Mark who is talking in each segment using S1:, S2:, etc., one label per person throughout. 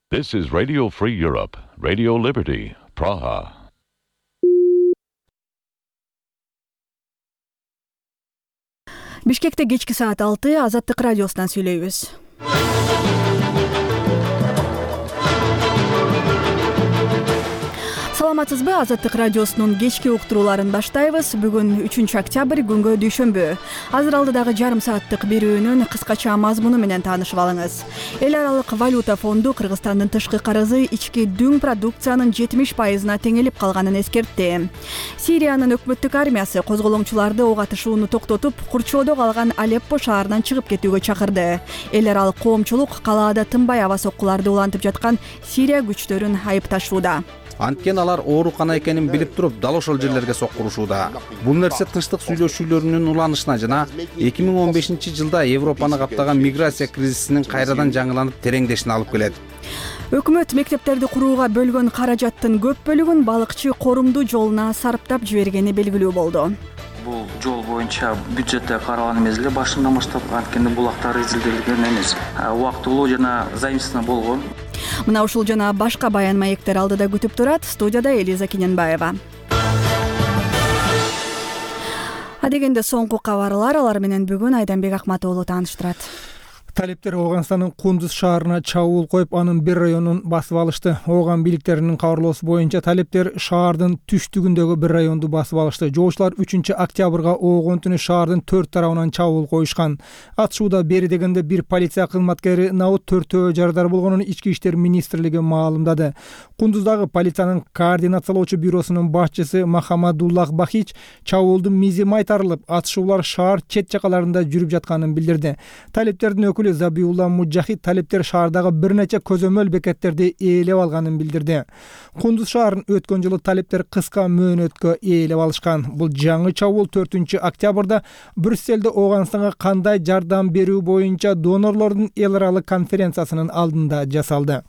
S1: This is Radio Free Europe, Radio Liberty, Praha.
S2: Бишкекте кечки саат 6 Азаттык радиосунан сүйлөйбүз. Саламатсызбы? Азаттык радиосунун кечки уктурууларын баштайбыз. Бүгүн 3 октябрь, күнгө дүйшөмбү. Азыр алдыдагы жарым сааттык берүүнүн кыскача мазмуну менен таанышып алыңыз. Эл аралык валюта фонду Кыргызстандын тышкы карызы ички дүң продукциянын 70%-на теңелип калганын эскертти. Сириянын өкмөттүк армиясы козголоңчуларды ок атышууну токтотуп, курчоодо калган Алеппо шаарынан чыгып кетүүгө чакырды. Эл аралык коомчулук калаада тынбай аба соккуларды улантып жаткан Сирия күчтөрүн айыпташууда.
S3: Анткени алар оорукана экенин билип туруп, дал ошол жерлерге соккурушууда. Бул нерсе тынчтык сүйлөшүүлөрүнүн уланышына жана 2015-жылда Европаны каптаган миграция кризисинин кайрадан жаңыланып тереңдешине алып келет.
S2: Өкмөт мектептерди курууга бөлгөн каражаттын көп бөлүгүн балыкчы корумду жолуна сарптап жибергени белгилүү болду.
S4: Бул жол боюнча бюджетте каралган мезгилде башынан баштап анткени булактар изилделген эмес. Убактылуу жана заимствование болгон.
S2: Мына ушул жана башка баян маектер алдыда күтүп турат. Студияда Элиза Кененбаева. Адегенде соңку кабарлар, алар менен бүгүн Айданбек Акматоğlu тааныштырат.
S5: Талептер Ооганстандын Кундуз шаарына чабуул коюп, анын бир районун басып алышты. Ооган бийликтеринин кабарлоосу боюнча талептер шаардын түштүгүндөгү бир районду басып алышты. Жоочулар 3-октябрга Оогон түнү шаардын 4 тарабынан чабуул коюшкан. Атышууда бери дегенде бир полиция кызматкери набыт төртөө жарадар болгонун Ички иштер министрлиги маалымдады. Кундуздагы полициянын координациялоочу бюросунун башчысы Махамадуллах Бахич чабуулдун мизи майтарылып, атышуулар шаар чет жакаларында жүрүп жатканын билдирди. Талептердин өкүлү Забиулла Мужахид талептер шаардагы бир нече көзөмөл бекеттерди ээлеп алганын билдирди. Кундуз шаарын өткөн жылы талептер кыска мөөнөткө ээлеп алышкан. Бул жаңы чабуул 4-октябрда Брюсселде Ооганстанга кандай жардам берүү боюнча донорлордун эл аралык конференциясынын алдында жасалды.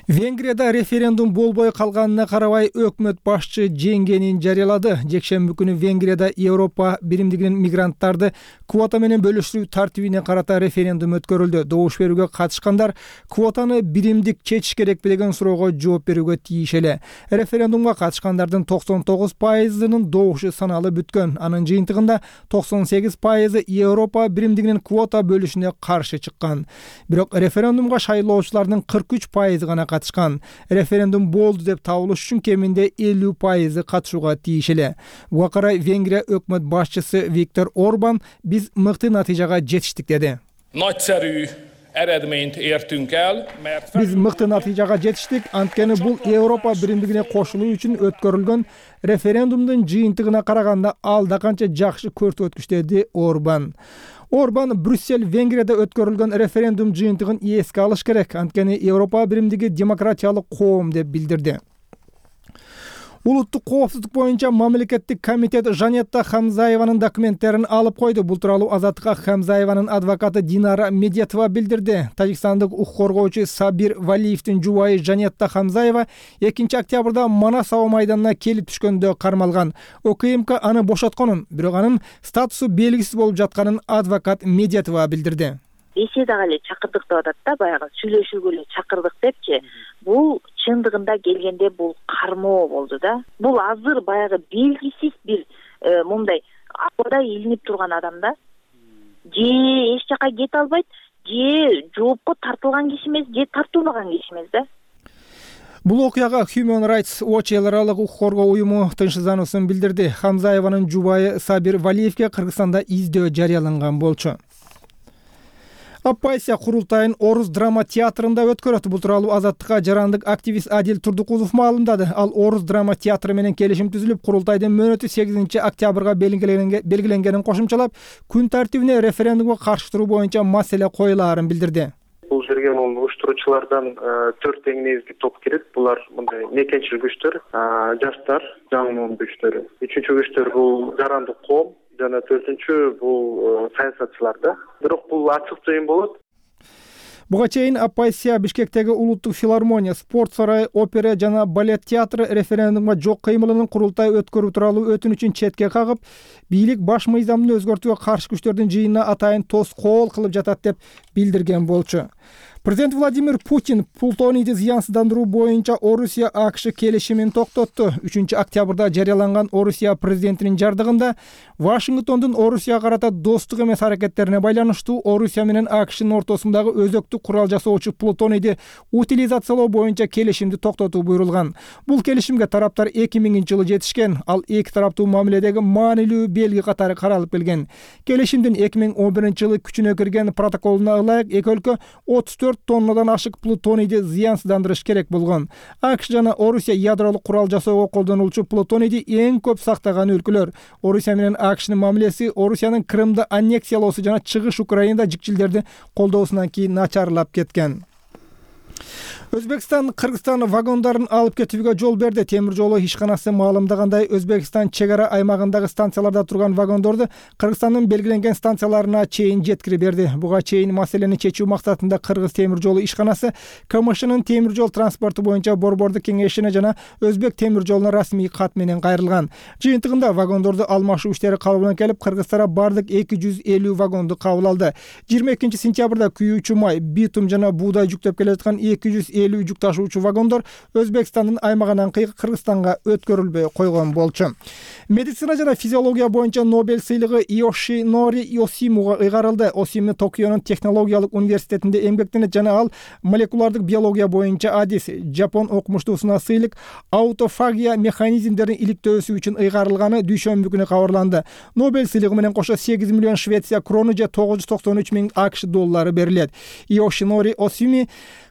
S5: Венгрияда референдум болбой калганына карабай өкмөт башчы жеңгенин жарыялады. Жекшемби күнү Венгрияда Европа биримдигинин мигранттарды квота менен бөлүшүү тартибине карата референдум өткөрүлдү. Добуш берүүгө катышкандар квотаны биримдик чечиш керекпи деген суроого жооп берүүгө тийиш эле. Референдумга катышкандардын 99%-нын добушу саналып бүткөн. Анын жыйынтыгында 98% Европа биримдигинин квота бөлүшүнө каршы чыккан. Бирок референдумга шайлоочулардын 43% гана катышкан. Референдум болду деп табылыш үчүн кеминде 50% катышууга тийиш эле. Буга карай Венгрия өкмөт башчысы Виктор Орбан биз мыкты натыйжага жетиштик деди. Биз мыкты натыйжага жетиштик, анткени бул Европа биримдигине кошулуу үчүн өткөрүлгөн референдумдун жыйынтыгына караганда алда канча жакшы көрсөткүч деди Орбан. Орбан Брюссель Венгрияда өткөрүлгөн референдум жыйынтыгын эске алыш керек, анткени Европа биримдиги демократиялык коом деп билдирди. Улуттук коопсуздук боюнча мамлекеттик комитет Жанетта Хамзаеванын документтерин алып койду. Бул тууралуу Азаттыкка Хамзаеванын адвокаты Динара Медетова билдирди. Тажикстандык укук коргоочу Сабир Валиевдин жубайы Жанетта Хамзаева 2-октябрда Манас аба майданына келип түшкөндө кармалган. ОКМК аны бошотконун, бирок анын статусу белгисиз болуп жатканын адвокат Медетова билдирди.
S6: Беседага эле чакырдык деп атат да, баягы сүйлөшүүгө эле чакырдык депчи. Бул чындыгында келгенде бул кармоо болду да. Бул азыр баягы белгисиз бир мындай абада илинип турган адам да. Же эч жака кете албайт, же жоопко тартылган киши эмес, же тартылбаган киши эмес да.
S5: Бул окуяга Human Rights Watch эл аралык укук коргоо уюму тынчсыздануусын билдирди. Хамзаеванын жубайы Сабир Валиевге Кыргызстанда издөө жарыяланган болчу. Оппозиция курултайын Орус драма театрында өткөрөт. Бул тууралуу Азаттыкка жарандык активист Адил Турдукулов маалымдады. Ал Орус драма театры менен келишим түзүлүп, курултайдын мөөнөтү 8-октябрга белгиленгенин кошумчалап, күн тартибине референдумга каршы туруу боюнча маселе коюлаарын билдирди.
S7: Бул жерге уюштуруучулардан 4 негизги топ кирет. Булар мындай мекенчил күчтөр, жаштар, жаңы күчтөр. 3-чү күчтөр бул жарандык коом. Жана 4-чү бул саясатчылар да. Бирок бул ачык жыйын болот.
S5: Буга чейин оппозиция Бишкектеги улуттук филармония, спорт сарайы, опера жана балет театры референдумга жок кыймылынын курултай өткөрүү тууралуу өтүнүчүн четке кагып, бийлик баш мыйзамды өзгөртүүгө каршы күчтөрдүн жыйынына атайын тоскоол кылып жатат деп билдирген болчу. Президент Владимир Путин плутонийди зыянсыздандыруу боюнча Орусия АКШ келишимин токтотту. 3-октябрда жарыяланган Орусия президентинин жардыгында Вашингтондун Орусияга карата достук эмес аракеттерине байланыштуу Орусия менен АКШнын ортосундагы өзөктүк курал жасоочу плутонийди утилизациялоо боюнча келишимди токтотуу буйрулган. Бул келишимге тараптар 2000-жылы жетишкен. Ал эки тараптуу мамиледеги маанилүү белги катары каралып келген. Келишимдин 2011-жылы күчүнө кирген протоколуна ылайык эки өлкө 34 тоннадан ашык плутонийди зыянсыздандырыш керек болгон. АКШ жана Орусия ядролук курал жасоого колдонулчу плутонийди эң көп сактаган өлкөлөр. Орусия менен АКШнын мамилеси Орусиянын Крымды аннексиялоосу жана чыгыш Украинада жикчилдерди колдоосунан кийин начарлап кеткен. Өзбекстан Кыргызстан вагондарын алып кетүүгө жол берди. Темир жолу ишканасы маалымдагандай, Өзбекстан чек ара аймагындагы станцияларда турган вагондорду Кыргызстандын белгиленген станцияларына чейин жеткирип берди. Буга чейин маселени чечүү максатында Кыргыз темир жолу ишканасы КМШнын темир жол транспорту боюнча борбордук кеңешине жана Өзбек темир жолуна расмий кат менен кайрылган. Жыйынтыгында вагондорду алмашуу иштери калыбына келип, кыргыздар бардык 250 вагонду кабыл алды. 22-сентябрда күйүүчү май, битум жана буудай жүктөп келе жаткан 250 жүк ташуучу вагондор Өзбекстандын аймагынан Кыргызстанга өткөрүлбөй койгон болчу. Медицина жана физиология боюнча Нобель сыйлыгы Йошинори Йосимуга ыйгарылды. Осими Токионун технологиялык университетинде эмгектенет жана ал молекулардык биология боюнча адис. Жапон окумуштуусуна сыйлык аутофагия механизмдерин иликтөөсү үчүн ыйгарылганы дүйшөмбү күнү кабарланды. Нобель сыйлыгы менен кошо 8 миллион Швеция крону же 993 миң АКШ доллары берилет. Йошинори Осими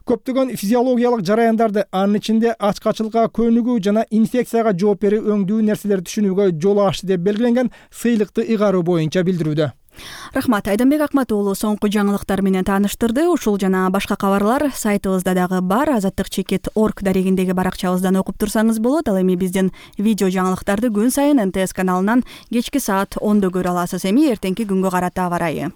S5: көптөгөн физиологиялык жараяндарды, анын ичинде ачкачылыкка көнүгүү жана инфекцияга жооп берүү өңдүү нерселерди түшүнүүгө жол ачты деп белгиленген сыйлыкты ыйгаруу боюнча билдирүүдө.
S2: Рахмат, Айданбек Акмат уулу соңку жаңылыктар менен тааныштырды. Ушул жана башка кабарлар сайтыбызда дагы бар. Азаттык.org дарегиндеги баракчабыздан окуп турсаңыз болот. Ал эми биздин видео жаңылыктарды күн сайын НТС каналынан кечки саат 10:00 көрө аласыз. Эми эртеңки күнгө карата аба ырайы.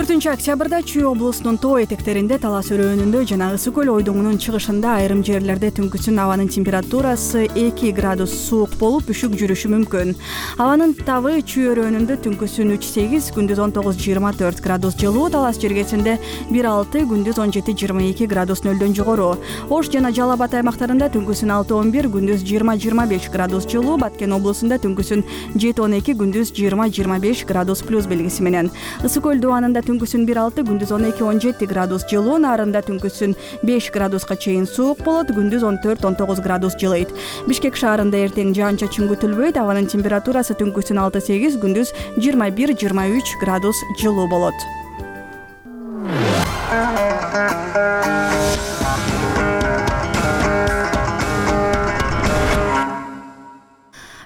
S2: 4-октябрда Чүй облусунун тоо этектеринде, Талас өрөөнүндө жана Ысык көл ойдоңунун чыгышында айрым жерлерде түнкүсүн абанын температурасы 2 градус суук болуп, үшүк жүрүшү мүмкүн. Абанын табы Чүй өрөөнүндө түнкүсүн 3-8, күндүз 19-24 градус жылуу, Талас жергесинде 1-6, күндүз 17-22 градус нөлдөн жогору. Ош жана Жалал Абад аймактарында түнкүсүн 6-11, күндүз 20-25 градус жылуу, Баткен облусунда түнкүсүн 7-12, күндүз 20-25 градус плюс белгиси менен. Ысык көл дубанында түнкүсүн 1-6, күндүз 12-17 градус жылуу, Нарында түнкүсүн 5 градуска чейин суук болот, күндүз 14-19 градус жылыйт. Бишкек шаарында эртең жаан-чачын күтүлбөйт, абанын температурасы түнкүсүн 6-8, күндүз 21-23 градус жылуу болот.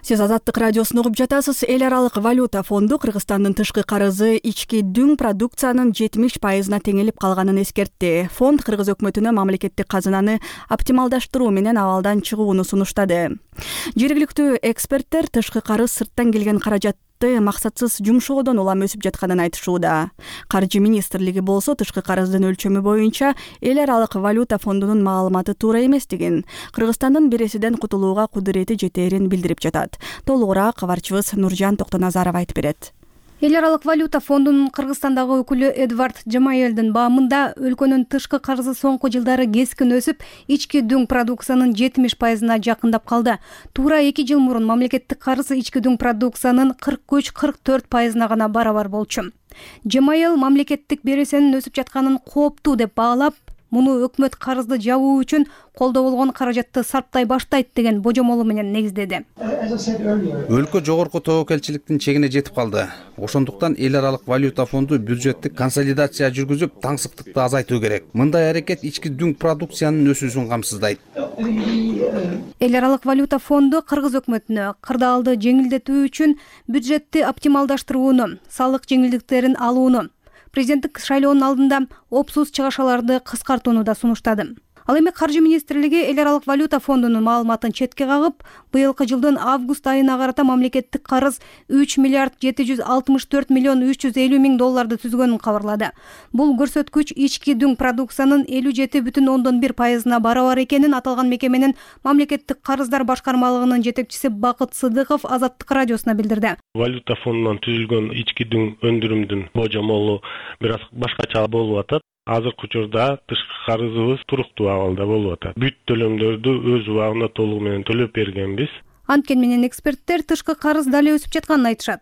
S2: Сиз Азаттык радиосун угуп жатасыз. Эл аралык валюта фонду Кыргызстандын тышкы карызы ички дүң продукциянын 70%-на теңелип калганын эскертти. Фонд Кыргыз өкмөтүнө мамлекеттик казынаны оптималдаштыруу менен абалдан чыгууну сунуштады. Жергиликтүү эксперттер тышкы карыз сырттан келген каражат максатсыз жумшоодон улам өсүп жатканын айтышууда. Каржы министрлиги болсо тышкы карыздын өлчөмү боюнча эл аралык валюта фондунун маалыматы туура эместигин, Кыргызстандын бересиден кутулууга кудурети жетээрин билдирип жатат. Толугураак кабарчыбыз Нуржан Токтоназаров айтып берет.
S8: Эл аралык валюта фондунун Кыргызстандагы өкүлү Эдвард Жамаелдин баамында өлкөнүн тышкы карызы соңку жылдары кескин өсүп, ички дүң продукциянын 70%-на жакындап калды. Туура 2 жыл мурун мамлекеттик карызы ички дүң продукциянын 43-44%-на гана барабар болчу. Жамаел мамлекеттик бересенин өсүп жатканын кооптуу деп баалап, муну өкмөт карызды жабуу үчүн колдо болгон каражатты сарптай баштайт деген божомолу менен негиздеди.
S3: Өлкө жогорку тобокелчиликтин чегине жетип калды. Ошондуктан эл аралык валюта фонду бюджеттик консолидация жүргүзүп, таңсыктыкты азайтуу керек. Мындай аракет ички дүң продукциянын өсүүсүн камсыздайт.
S8: Эл аралык валюта фонду Кыргыз өкмөтүнө кырдаалды жеңилдетүү үчүн бюджетти оптималдаштырууну, салык жеңилдиктерин алууну, президенттик шайлоонун алдында опсуз чыгашаларды кыскартууну да сунуштады. Ал эми Каржы министрлиги эл аралык валюта фондунун маалыматын четке кагып, быйылкы жылдын август айына карата мамлекеттик карыз 3 миллиард 764 миллион 350 миң долларды түзгөнүн кабарлады. Бул көрсөткүч ички дүң продукциянын 57,1%-на барабар экенин аталган мекеменин мамлекеттик карыздар башкармалыгынын жетекчиси Бакыт Сыдыков Азаттык радиосуна билдирди.
S9: Валюта фондунан түзүлгөн ички дүң өндүрүмдүн божомолу бир аз башкача болуп атат. Азыркы учурда тышкы карызыбыз туруктуу абалда болуп атат. Бүт төлөмдөрдү өз убагында толугу менен төлөп бергенбиз.
S8: Анткени менен эксперттер тышкы карыз дали өсүп жатканын айтышат.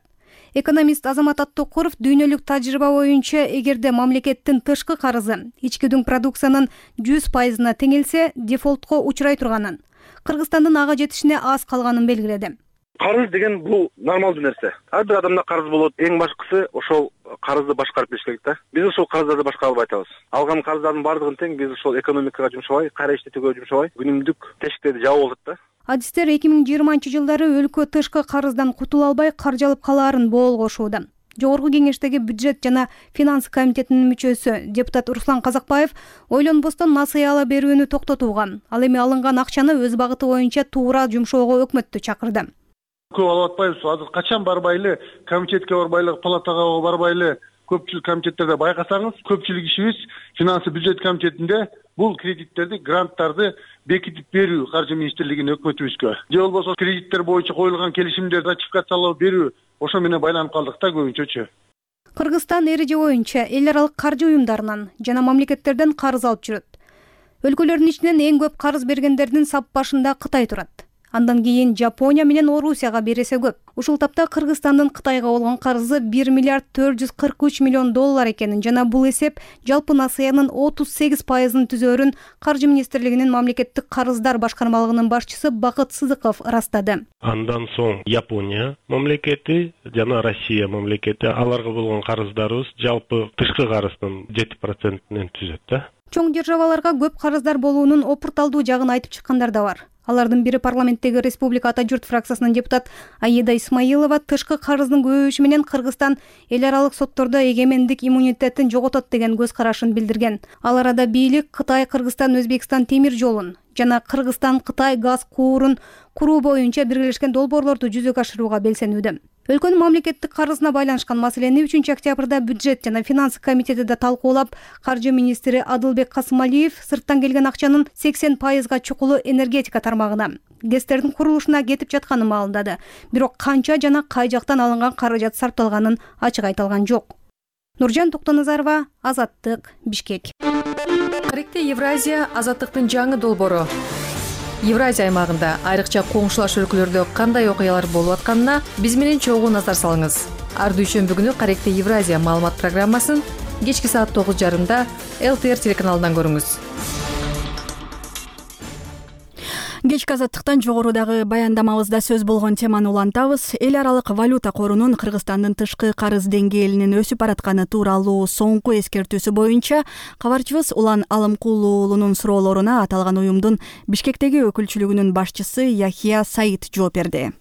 S8: Экономист Азамат Аттокуров дүйнөлүк тажрыйба боюнча эгерде мамлекеттин тышкы карызы ички дүң продукциянын 100%-на теңелсе, дефолтко учурай турганын, Кыргызстандын ага жетишине аз калганын белгиледи.
S10: Карыз деген бул нормалдуу нерсе. Ар бир адамда карыз болот. Эң башкысы ошол карызды башкарып бериш керек да. Биз ошол карыздарды башкара албай атабыз. Алган карыздардын баардыгын тең биз ошол экономикага жумшабай, кайра иштетүүгө жумшабай, күнүмдүк тешиктерди жаап атат да.
S8: Адистер 2020-жылдары өлкө тышкы карыздан кутула албай каржалып калаарын боолгошууда. Жогорку кеңештеги бюджет жана финансы комитетинин мүчөсү депутат Руслан Казакбаев ойлонбостон насыя ала берүүнү токтотууга, ал эми алынган акчаны өз багыты боюнча туура жумшоого өкмөттү чакырды.
S11: Көп алып атпайбыз. Азыр качан барбайлы, комитетке барбайлы, палатага барбайлы, көпчүлүк комитеттерде байкасаңыз, көпчүлүк ишибиз финансы бюджет комитетинде бул кредиттерди, гранттарды бекитип берүү Каржы министрлигине, өкмөтүбүзгө. Же болбосо кредиттер боюнча коюлган келишимдерди ратификациялап берүү, ошо менен байланып калдык да көбүнчөчү.
S8: Кыргызстан эреже боюнча эл аралык каржы уюмдарынан жана мамлекеттерден карыз алып жүрөт. Өлкөлөрдүн ичинен эң көп карыз бергендердин сап башында Кытай турат. Андан кийин Жапония менен Орусияга бересе көп. Ушул тапта Кыргызстандын Кытайга болгон карызы 1 миллиард 443 миллион доллар экенин жана бул эсеп жалпы насыянын 38%-ын түзөөрүн Каржы министрлигинин мамлекеттик карыздар башкармалыгынын башчысы Бакыт Сыдыков ырастады.
S9: Андан соң Япония мамлекети жана Россия мамлекети, аларга болгон карыздарыбыз жалпы тышкы карыздын 7%-нен түзөт да.
S8: Чоң державаларга көп карыздар болуунун опурталдуу жагын айтып чыккандар да бар. Алардын бири парламенттеги Республика Ата журт фракциясынын депутат Аида Исмаилова тышкы карыздын көбөйүшү менен Кыргызстан эл аралык соттордо эгемендик иммунитетин жоготот деген көз карашын билдирген. Ал арада бийлик Кытай, Кыргызстан, Өзбекстан темир жолун жана Кыргызстан Кытай газ куурун куруу боюнча биргелешкен долбоорлорду жүзөгө ашырууга белсенүүдө. Өлкөнүн мамлекеттик карызына байланышкан маселени 3-октябрда бюджет жана финансы комитети да талкуулап, Каржы министри Адылбек Касымалиев сырттан келген акчанын 80%-га чукулу энергетика тармагына, ГЭСтердин курулушуна кетип жатканын маалымдады. Бирок канча жана кай жактан алынган каражат сарпталганын ачык айтылган жок. Нуржан Токтоназарова, Азаттык, Бишкек.
S12: Каректе Евразия азаттыктын жаңы долбоору. Евразия аймагында айрыкча коңшулаш өлкөлөрдө кандай окуялар болуп атканына биз менен чогуу назар салыңыз. Ар дүйшөмбү күнү Каректе Евразия маалымат программасын кечки саат 9:30 ЛТР телеканалынан көрүңүз.
S2: Кечки азаттыктан жогорудагы баяндамабызда сөз болгон теманы улантабыз. Эл аралык валюта корунун Кыргызстандын тышкы карыз деңгээлинин өсүп баратканы тууралуу соңку эскертүүсү боюнча кабарчыбыз Улан Алымкулуулунун суроолоруна аталган уюмдун Бишкектеги өкүлчүлүгүнүн башчысы Яхия Саид жооп берди.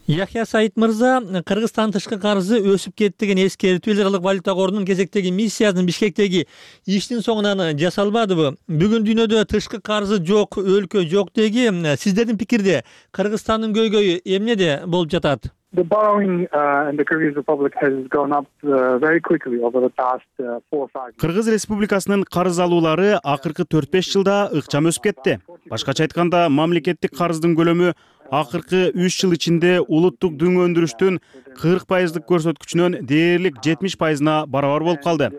S13: Яхия Саид мырза, Кыргызстан тышкы карызы өсүп кетти деген эскертүү эл аралык валюта корунун кезектеги миссиясынын Бишкектеги иштин соңунан жасалбадыбы? Бүгүн дүйнөдө тышкы карызы жок өлкө жок деги. Сиздердин пикирде Кыргызстандын көйгөйү эмнеде болуп жатат?
S14: The borrowing in the Kyrgyz Republic has gone up very quickly over the past 4 or 5 years.
S15: Кыргыз Республикасынын карыз алуулары акыркы 4-5 жылда ыкчам өсүп кетти. Башкача айтканда, мамлекеттик карыздын көлөмү акыркы 3 жыл ичинде улуттук дүң өндүрүштүн 40%-лык көрсөткүчүнөн дээрлик 70%-на барабар болуп калды.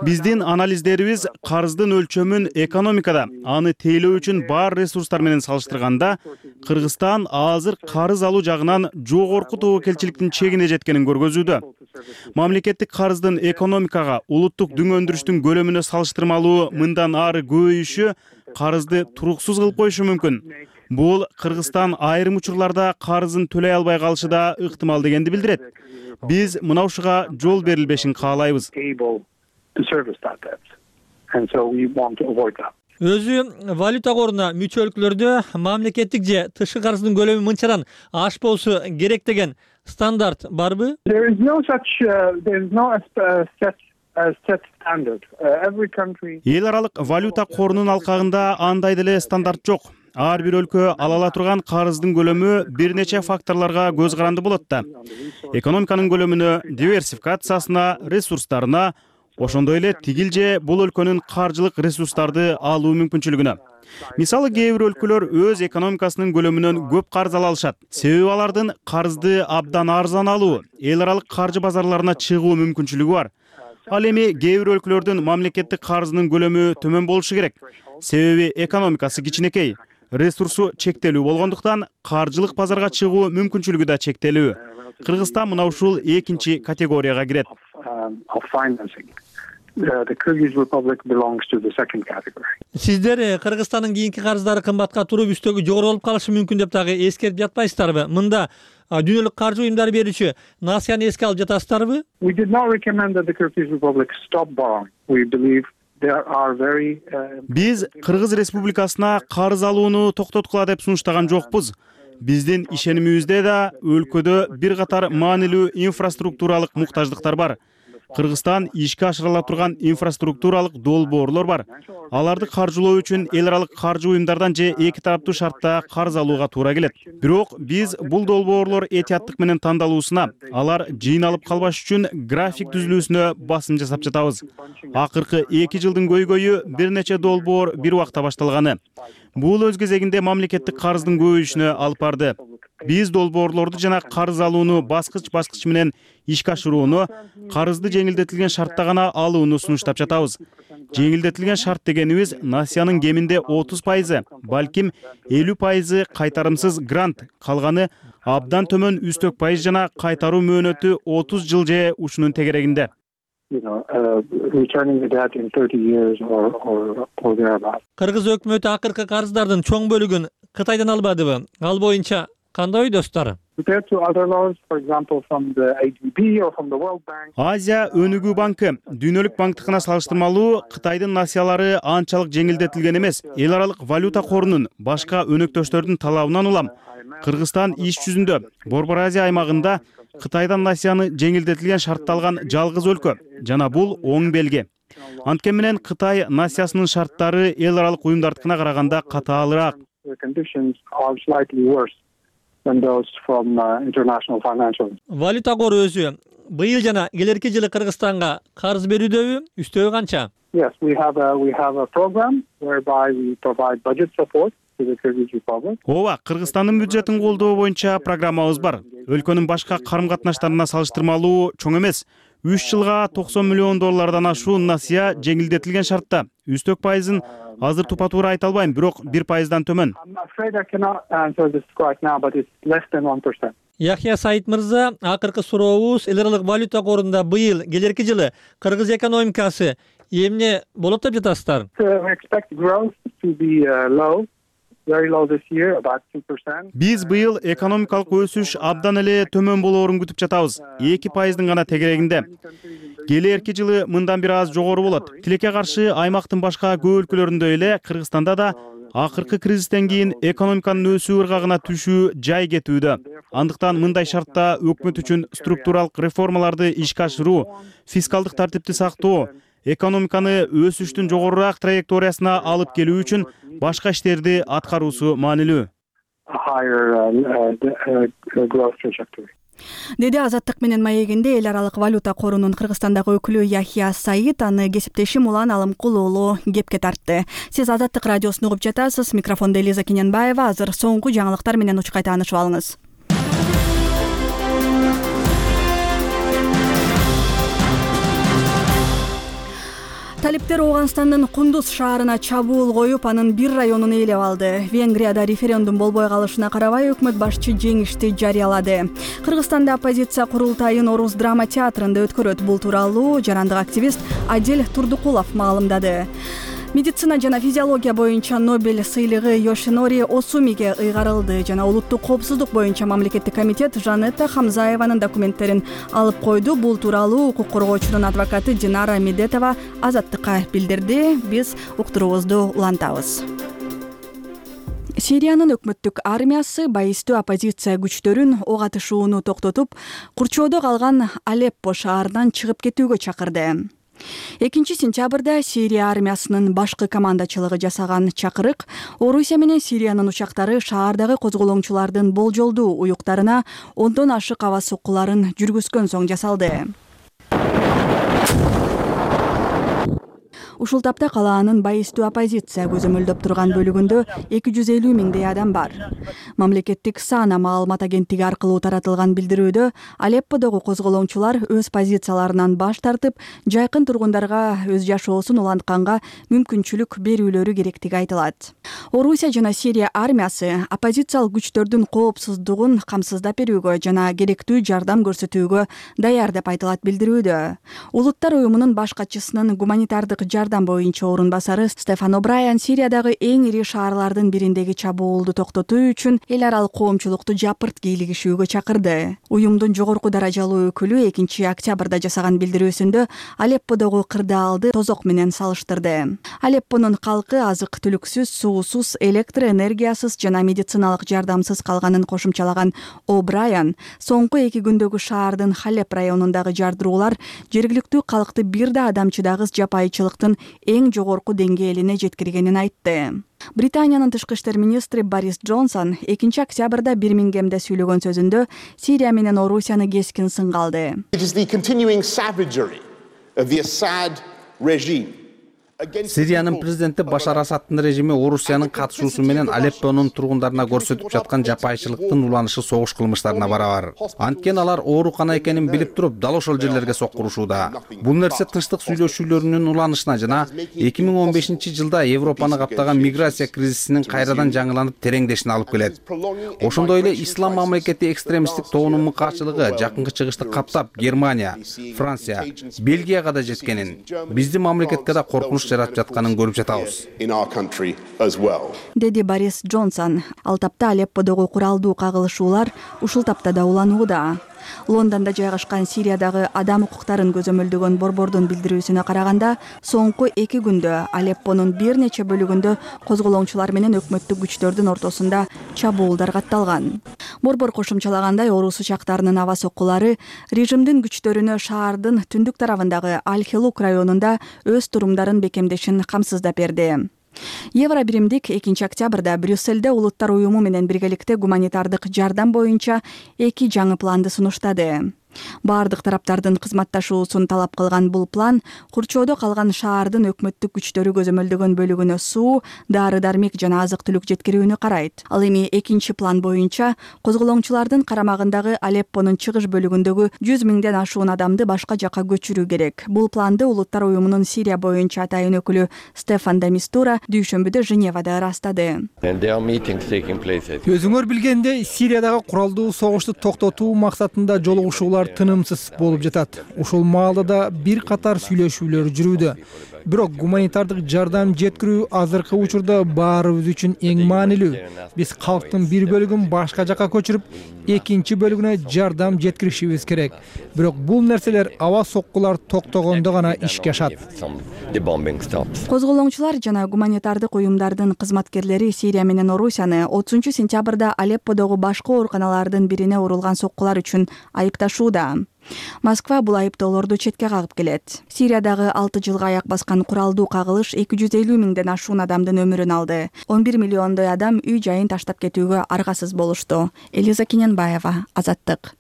S15: Биздин анализдерибиз карыздын өлчөмүн экономикада аны тейлөө үчүн бар ресурстар менен салыштырганда Кыргызстан азыр карыз алуу жагынан жогорку тобокелчиликтин чегине жеткенин көргөзүүдө. Мамлекеттик карыздын экономикага, улуттук дүң өндүрүштүн көлөмүнө салыштырмалуу мындан ары көбөйүшү карызды туруксуз кылып коюшу мүмкүн. Бул Кыргызстан айрым учурларда карызын төлөй албай калышы да ыктымал дегенди билдирет. Биз мына ушуга жол берилбешин каалайбыз.
S13: Өзү валюта коруна мүчө өлкөлөрдө мамлекеттик же тышкы карыздын көлөмү мынчадан ашпоосу керек деген стандарт барбы?
S14: There is no such
S15: Эл аралык валюта корунун алкагында андай деле стандарт жок. Ар бир өлкө ала ала турган карыздын көлөмү бир нече факторлорго көз каранды болот да. Экономиканын көлөмүнө, диверсификациясына, ресурстарына, ошондой эле тигил же бул өлкөнүн каржылык ресурстарды алуу мүмкүнчүлүгүнө. Мисалы, кээ бир өлкөлөр өз экономикасынын көлөмүнөн көп карыз ала алышат. Себеби алардын карызды абдан арзан алуу, эл аралык каржы базарларына чыгуу мүмкүнчүлүгү бар. Ал эми кээ бир өлкөлөрдүн мамлекеттик карызынын көлөмү төмөн болушу керек. Себеби экономикасы кичинекей, ресурсу чектелүү болгондуктан каржылык базарга чыгуу мүмкүнчүлүгү да чектелүү. Кыргызстан мына ушул экинчи категорияга кирет.
S13: Сиздер Кыргызстандын кийинки карыздары кымбатка туруп, үстөгү жогору болуп калышы мүмкүн деп дагы эскертип жатпайсыздарбы? Мында дүйнөлүк каржы уюмдары берүүчү Насияны эске алып жатасыздарбы?
S15: Биз Кыргыз Республикасына карыз алууну токтоткула деп сунуштаган жокпуз. Биздин ишенимибизде да өлкөдө бир катар маанилүү инфраструктуралык муктаждыктар бар. Кыргызстан ишке ашырыла турган инфраструктуралык долбоорлор бар. Аларды каржылоо үчүн эл аралык каржы уюмдардан же эки тараптуу шартта карыз алууга туура келет. Бирок биз бул долбоорлор этияттык менен тандалуусуна, алар жыйналып калбаш үчүн график түзүлүүсүнө басым жасап жатабыз. Акыркы 2 жылдын көйгөйү бир нече долбоор бир убакта башталганы. Бул өз кезегинде мамлекеттик карыздын көбөйүшүнө алып барды. Биз долбоорлорду жана карыз алууну баскыч менен ишке ашырууну, карызды жеңилдетилген шартта гана алууну сунуштап жатабыз. Жеңилдетилген шарт дегенибиз Насиянын кеминде 30%, балким 50% кайтарымсыз грант, калганы абдан төмөн үстөк пайыз жана кайтаруу мөөнөтү 30 жыл же ушунун тегерегинде.
S13: Кыргыз өкмөтү акыркы карыздардын чоң бөлүгүн Кытайдан албадыбы? Ал боюнча кандай ойдосуздар?
S15: Азия өнүгүү банкы Дүйнөлүк банктыкына салыштырмалуу Кытайдын насиялары анчалык жеңилдетилген эмес. Эл аралык валюта корунун башка өнөктөштөрдүн талабынан улам Кыргызстан иш жүзүндө Борбор Азия аймагында Кытайдан насияны жеңилдетилген шартта алган жалгыз өлкө жана бул оң белги. Анткени менен Кытай насиясынын шарттары эл аралык уюмдардыкына караганда катаалыраак.
S13: Валюта кору өзү быйыл жана келерки жылы Кыргызстанга карыз берүүдөбү? Үстөгү канча?
S15: Ооба, Кыргызстандын бюджетин колдоо боюнча программабыз бар. Өлкөнүн башка карым-катнаштарына салыштырмалуу чоң эмес. 3 жылга $90 миллион ашуун насия жеңилдетилген шартта. Үстөк пайызын азыр тупа-туура айта албайм, бирок 1%дан төмөн.
S13: Яхья Саид мырза, акыркы сурообуз эл аралык валюта корунда быйыл келерки жылы Кыргыз экономикасы эмне болот деп жатасыздар?
S15: Биз быйыл экономикалык өсүш абдан эле төмөн болоорун күтүп жатабыз. 2%дын гана тегерегинде. Келерки жылы мындан бир аз жогору болот. Тилекке каршы аймактын башка көп өлкөлөрүндө эле Кыргызстанда да акыркы кризистен кийин экономиканын өсүү ыргагына түшүү жай кетүүдө. Андыктан мындай шартта өкмөт үчүн структуралык реформаларды ишке ашыруу, фискалдык тартипти сактоо, экономиканы өсүштүн жогорураак траекториясына алып келүү үчүн башка иштерди аткаруусу маанилүү.
S2: Деди Азаттык менен маегинде эл аралык валюта корунун Кыргызстандагы өкүлү Яхья Саид, аны кесиптешим Улан Алымкул уулу кепке тартты. Сиз Азаттык радиосун угуп жатасыз. Микрофондо Элиза Кененбаева. Азыр соңку жаңылыктар менен учкай таанышып алыңыз. Талиптер Ооганстандын Кундуз шаарына чабуул коюп, анын бир районун ээлеп алды. Венгрияда референдум болбой калышына карабай өкмөт башчы жеңишти жарыялады. Кыргызстанда оппозиция курултайын Орус драма театрында өткөрөт. Бул тууралуу жарандык активист Адил Турдукулов маалымдады. Медицина жана физиология боюнча Нобель сыйлыгы Йошинори Осумиге ыйгарылды жана улуттук коопсуздук боюнча мамлекеттик комитет Жанетта Хамзаеванын документтерин алып койду. Бул тууралуу укук коргоочунун адвокаты Динара Медетова Азаттыкка билдирди. Биз уктуруубузду улантабыз. Сириянын өкмөттүк армиясы байистүү оппозиция күчтөрүн ок атышууну токтотуп, курчоодо калган Алеппо шаарынан чыгып кетүүгө чакырды. 2 сентябрда Сирия армиясынын башкы командачылыгы жасаган чакырык Орусия менен Сириянын учактары шаардагы козголоңчулардын болжолдуу уюктарына 10дон ашык аба соккуларын жүргүзгөн соң жасалды. Ушул тапта калаанын байыстуу оппозиция көзөмөлдөп турган бөлүгүндө 250 миңдей адам бар. Мамлекеттик САНА маалымат агенттиги аркылуу таратылган билдирүүдө Алепподогу козголоңчулар өз позицияларынан баш тартып, жайкын тургундарга өз жашоосун улантканга мүмкүнчүлүк берүүлөрү керектиги айтылат. Орусия жана Сирия армиясы оппозициялык күчтөрдүн коопсуздугун камсыздап берүүгө жана керектүү жардам көрсөтүүгө даяр деп айтылат билдирүүдө. Улуттар уюмунун баш катчысынын гуманитардык жардам боюнча орун басары Стефан О'Брайен Сириядагы эң ири шаарлардын бириндеги чабуулду токтотуу үчүн эл аралык коомчулукту жапырт кийлигишүүгө чакырды. Уюмдун жогорку даражалуу өкүлү 2 октябрда жасаган билдирүүсүндө Алепподогу кырдаалды тозок менен салыштырды. Алеппонун калкы азык-түлүксүз, суусуз, электр энергиясыз жана медициналык жардамсыз калганын кошумчалаган О'Брайен соңку 2 күндөгү шаардын Халеп районундагы жардыруулар жергиликтүү калкты бир да адамчыдагыс жапайычылыктын эң жогорку деңгээлине жеткиргенин айтты. Британиянын тышкы иштер министри Борис Джонсон 2 октябрда Бирмингемде сүйлөгөн сөзүндө Сирия менен Орусияны кескин сынга алды.
S3: Сириянын президенти Башар Асаддын режими Орусиянын катышуусу менен Алеппонун тургундарына көрсөтүп жаткан жапайычылыктын уланышы согуш кылмыштарына барабар. Анткени алар оорукана экенин билип туруп, дал ошол жерлерге соккурушууда. Бул нерсе тынчтык сүйлөшүүлөрүнүн уланышына жана 2015-жылда Европаны каптаган миграция кризисинин кайрадан жаңыланып тереңдешине алып келет. Ошондой эле ислам мамлекети экстремисттик тобунун мыкаачылыгы жакынкы чыгышты каптап Германия, Франция, Бельгияга да жеткенин, биздин мамлекетке да коркунуч жаратып жатканын көрүп жатабыз,
S2: деди Борис Джонсон. Ал тапта Алепподогу куралдуу кагылышуулар ушул таптада уланууда. Лондондо жайгашкан Сириядагы адам укуктарын көзөмөлдөгөн борбордун билдирүүсүнө караганда, соңку 2 күндө Алеппонун бир нече бөлүгүндө козголоңчулар менен өкмөттүк күчтөрдүн ортосунда чабуулдар катталган. Борбор кошумчалагандай, Орус учактарынын аба соккулары режимдин күчтөрүнө шаардын түндүк тарабындагы Аль-Хелук районунда өз турумдарын бекемдешин камсыздап берди. Евробиримдик 2 октябрда Брюссельде улуттар уюму менен биргеликте гуманитардык жардам боюнча 2 жаңы планды сунуштады. Бардык тараптардын кызматташуусун талап кылган бул план курчоодо калган шаардын өкмөттүк күчтөрү көзөмөлдөгөн бөлүгүнө суу, дары-дармек жана азык-түлүк жеткирүүнү карайт. Ал эми 2 план боюнча козголоңчулардын карамагындагы Алеппонун чыгыш бөлүгүндөгү 100 миңден ашуун адамды башка жакка көчүрүү керек. Бул планды улуттар уюмунун Сирия боюнча атайын өкүлү Стефан де Мистура дүйшөмбүдө Женевада ырастады.
S5: Өзүңөр билгендей, Сириядагы куралдуу согушту токтотуу максатында жолугушуулар тынымсыз болуп жатат. Ушул маалда да бир катар сүйлөшүүлөр жүрүүдө. Бирок гуманитардык жардам жеткирүү азыркы учурда баарыбыз үчүн эң маанилүү. Биз калктын бир бөлүгүн башка жакка көчүрүп, экинчи бөлүгүнө жардам жеткиришибиз керек. Бирок бул нерселер аба соккулар токтогондо гана ишке ашат.
S2: Козголоңчулар жана гуманитардык уюмдардын кызматкерлери Сирия менен Орусияны 30 сентябрда Алепподогу башкы ооруканалардын бирине урулган соккулар үчүн айыпташууда. Москва бул айыптоолорду четке кагып келет. Сириядагы 6 жылга аяк баскан куралдуу кагылыш 250 миңден ашуун адамдын өмүрүн алды. 11 миллиондой адам үй жайын таштап кетүүгө аргасыз болушту. Элиза Кененбаева, Азаттык.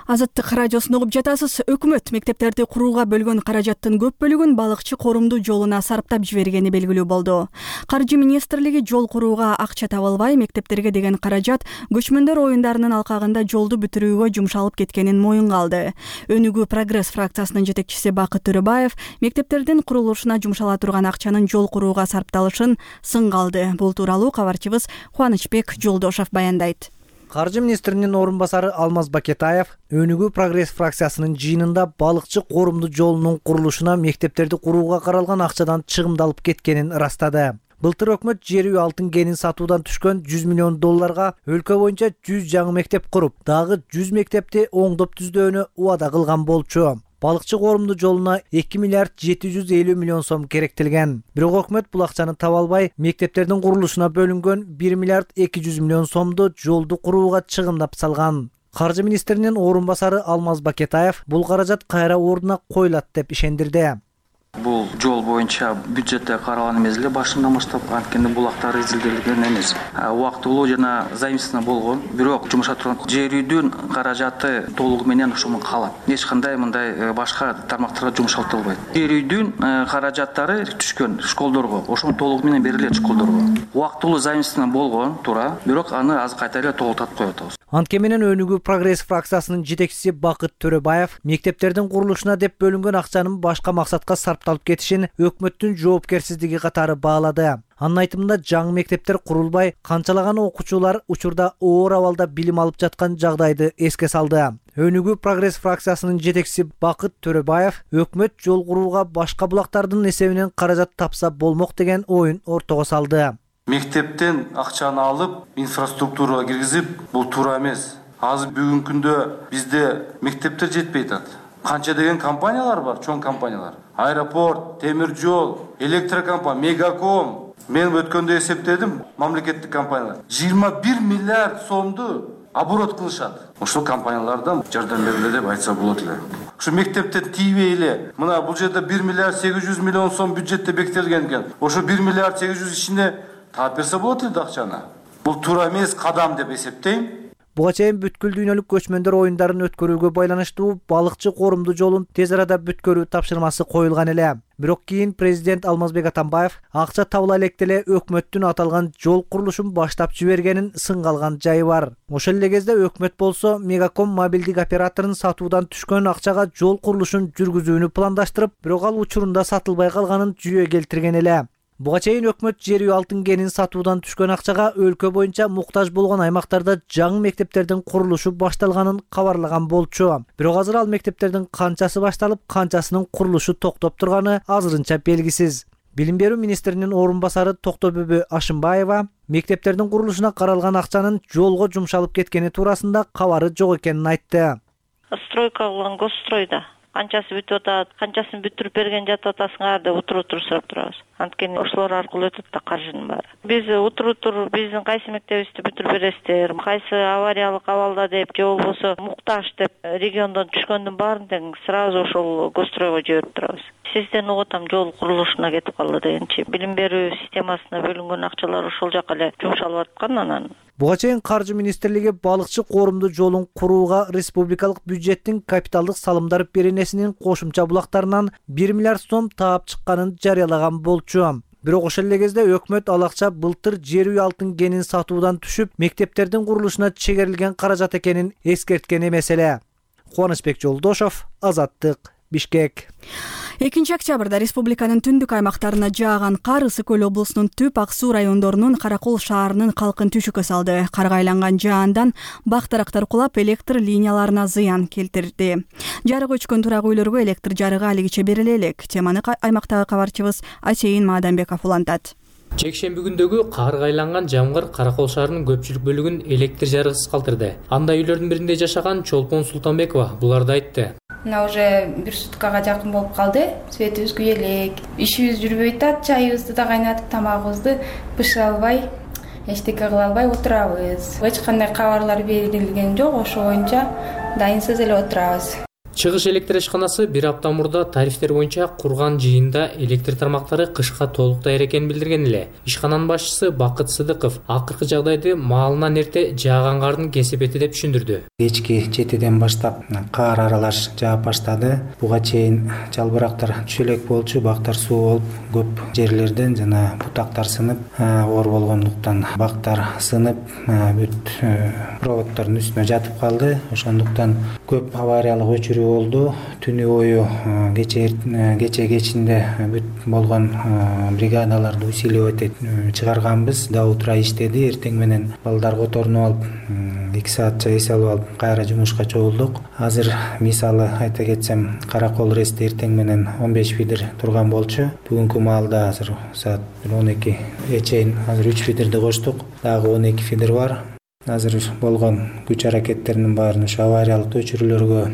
S2: Азаттык радиосун угуп жатасыз. Өкмөт мектептерди курууга бөлгөн каражаттын көп бөлүгүн балыкчы корумду жолуна сарптап жибергени белгилүү болду. Каржы министрлиги жол курууга акча табылбай, мектептерге деген каражат көчмөндөр оюндарынын алкагында жолду бүтүрүүгө жумшалып кеткенин моюнга алды. Өнүгүү прогресс фракциясынын жетекчиси Бакыт Төрөбаев мектептердин курулушуна жумшала турган акчанын жол курууга сарпталышын сынга алды. Бул тууралуу кабарчыбыз Кубанычбек Жолдошов баяндайт.
S16: Каржы министринин орун басары Алмаз Бакетаев Өнүгүү прогресс фракциясынын жыйынында балыкчы корумду жолунун курулушуна мектептерди курууга каралган акчадан чыгымдалып кеткенин ырастады. Былтыр өкмөт жер үй алтын кенин сатуудан түшкөн 100 миллион долларга өлкө боюнча 100 жаңы мектеп куруп, дагы 100 мектепти оңдоп түздөөнү убада кылган болчу. Балыкчы корумду жолуна 2 миллиард 750 миллион сом керектелген. Бирок өкмөт бул акчаны таба албай, мектептердин курулушуна бөлүнгөн 1 миллиард 200 миллион сомду жолду курууга чыгымдап салган. Каржы министринин орун басары Алмаз Бакетаев бул каражат кайра ордуна коюлат деп ишендирди.
S4: Бул жол боюнча бюджетте каралган эмес эле башынан баштап, анткени булактар изилделген эмес. Убактылуу жана заимствование болгон, бирок жумушка турган жер үйдүн каражаты толугу менен ошону калат. Эч кандай мындай башка тармактарга жумшалтылбайт. Жер үйдүн каражаттары түшкөн школдорго, ошону толугу менен берилет школдорго. Убактылуу заимствование болгон туура, бирок аны азыр кайта эле толуктатып коюп атабыз.
S16: Анткени менен Өнүгүү прогресс фракциясынын жетекчиси Бакыт Төрөбаев мектептердин курулушуна деп бөлүнгөн акчанын башка максатка сарпталып кетишин өкмөттүн жоопкерсиздиги катары баалады. Анын айтымында жаңы мектептер курулбай, канчалаган окуучулар учурда оор абалда билим алып жаткан жагдайды эске салды. Өнүгүү прогресс фракциясынын жетекчиси Бакыт Төрөбаев өкмөт жол курууга башка булактардын эсебинен каражат тапса болмок деген оюн ортого салды.
S17: Мектептен акчаны алып, инфраструктурага киргизип, бул туура эмес. Азыр бүгүнкү күндө бизде мектептер жетпей атат. Канча деген компаниялар бар, чоң компаниялар. Аэропорт, темир жол, электрокомпания, Мегаком. Мен өткөндө эсептедим, мамлекеттик компаниялар 21 миллиард сомду оборот кылышат. Ошол компаниялардан жардам бериле деп айтса болот эле. Ошо мектептен тийбей эле, мына бул жерде 1 миллиард 800 миллион сом бюджетте бекитилген экен. Ошо 1 миллиард 800 ичинде таап берсе болот эле акчаны. Бул туура эмес кадам деп эсептейм.
S16: Буга чейин бүткүл дүйнөлүк көчмөндөр оюндарын өткөрүүгө байланыштуу балыкчы корумду жолун тез арада бүткөрүү тапшырмасы коюлган эле. Бирок кийин президент Алмазбек Атамбаев акча табыла электе эле өкмөттүн аталган жол курулушун баштап жибергенин сынга алган жайы бар. Ошол эле кезде өкмөт болсо Мегаком мобилдик операторун сатуудан түшкөн акчага жол курулушун жүргүзүүнү пландаштырып, бирок ал учурунда сатылбай калганын жүйө келтирген эле. Буга чейин өкмөт жер үй алтын кенин сатуудан түшкөн акчага өлкө боюнча муктаж болгон аймактарда жаңы мектептердин курулушу башталганын кабарлаган болчу. Бирок азыр ал мектептердин канчасы башталып, канчасынын курулушу токтоп турганы азырынча белгисиз. Билим берүү министринин орун басары Токтобөбө Ашымбаева мектептердин курулушуна каралган акчанын жолго жумшалып кеткени туурасында кабары жок экенин айтты.
S18: Стройка кылган госстройда канчасы бүтүп атат, канчасын бүтүрүп берген жатып атасыңар деп утуруп сурап турабыз. Анткени ошолор аркылуу өтөт да каржынын баары. Биз утуруп биздин кайсы мектебибизди бүтүрүп бересиздер, кайсы авариялык абалда деп, же болбосо муктаж деп региондон түшкөндүн баарын тең сразу ошол госстройго жиберип турабыз. Сизден угуп атам жол курулушуна кетип калды дегенчи. Билим берүү системасына бөлүнгөн акчалар ошол жака эле жумшалып аткан анан.
S16: Буга чейин Каржы министрлиги балыкчы корумду жолун курууга республикалык бюджеттин капиталдык салымдар беренесинин кошумча булактарынан 1 миллиард сом таап чыкканын жарыялаган болчу. Бирок ошол эле кезде өкмөт ал акча былтыр жер үй алтын кенин сатуудан түшүп, мектептердин курулушуна чегерилген каражат экенин эскерткен эмес эле. Кубанычбек Жолдошов, Азаттык, Бишкек.
S2: 2 октябрда республиканын түндүк аймактарына жааган кар Ысык Көл облусунун Түп Ак Суу райондорунун Каракол шаарынын калкын түшүккө салды. Карга айланган жаандан бак-дарактар кулап, электр линияларына зыян келтирди. Жарык өчкөн турак үйлөргө электр жарыгы алигиче бериле элек. Теманы аймактагы кабарчыбыз Асейин Маадамбеков улантат.
S19: Жекшемби күндөгү карга айланган жамгыр Каракол шаарынын көпчүлүк бөлүгүн электр жарыгысыз калтырды. Андай үйлөрдүн биринде жашаган Чолпон Султанбекова буларды айтты.
S20: Мына уже 1 суткага жакын болуп калды. Светибиз күйө элек. Ишибиз жүрбөй атат, чайыбызды да кайнатып, тамагыбызды бышыра албай, эчтеке кыла албай отурабыз. Эч кандай кабарлар берилген жок, ошо боюнча дайынсыз эле отурабыз.
S19: Чыгыш электр ишканасы 1 апта мурда тарифтер боюнча курган жыйында электр тармактары кышка толук даяр экенин билдирген эле. Ишкананын башчысы Бакыт Сыдыков акыркы жагдайды маалынан эрте жааган кардын кесепети деп түшүндүрдү.
S21: Кечки 7ден баштап кар аралаш жаап баштады. Буга чейин жалбырактар түшө элек болчу, бактар суу болуп, көп жерлерден жана бутактар сынып, оор болгондуктан бактар сынып, бүт проводдордун үстүнө жатып калды. Ошондуктан көп авариялык өчүрүү болду. Түнү бою кече кечинде бүт болгон бригадаларды усиливать этип чыгарганбыз. Да утра иштеди. Эртең менен балдарга оторунуп алып, 2 саатча эс алып алып, кайра жумушка чогулдук. Азыр мисалы айта кетсем, Каракол ресте эртең менен 15 фидер турган болчу. Бүгүнкү маалда азыр саат 12 чейин азыр 3 фидерди коштук. Дагы 12 фидер бар. Азыр болгон күч аракеттеринин баарын ушу авариялык өчүрүүлөргө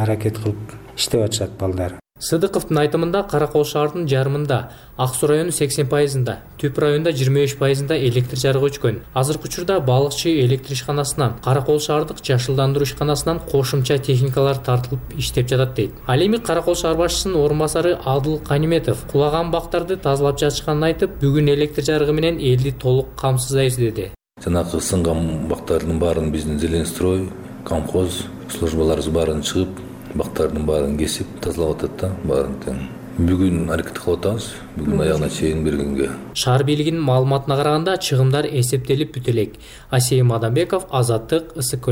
S21: аракет кылып иштеп атышат балдар.
S19: Сыдыковдун айтымында Кара Кол шаарынын жарымында, Ак Суу району 80%, Түп районунда 23% электр жарыгы өчкөн. Азыркы учурда балыкчы электр ишканасынан, Кара Кол шаардык жашылдандыруу ишканасынан кошумча техникалар тартылып иштеп жатат дейт. Ал эми Кара Кол шаар башчысынын орун басары Адыл Каниметов кулаган бактарды тазалап жатышканын айтып, бүгүн электр жарыгы менен элди толук камсыздайбыз деди.
S1: Жанагы сынган бактардын баарын биздин Зеленстрой, колхоз службаларыбыз баарын чыгып, бактардын баарын кесип тазалап атат да, баарын тең. Бүгүн аракет кылып атабыз, бүгүн аягына чейин бергенге.
S19: Шаар бийлигинин маалыматына караганда чыгымдар эсептелип бүтө элек. Асейим Адамбеков, Азаттык, Ысык Көл.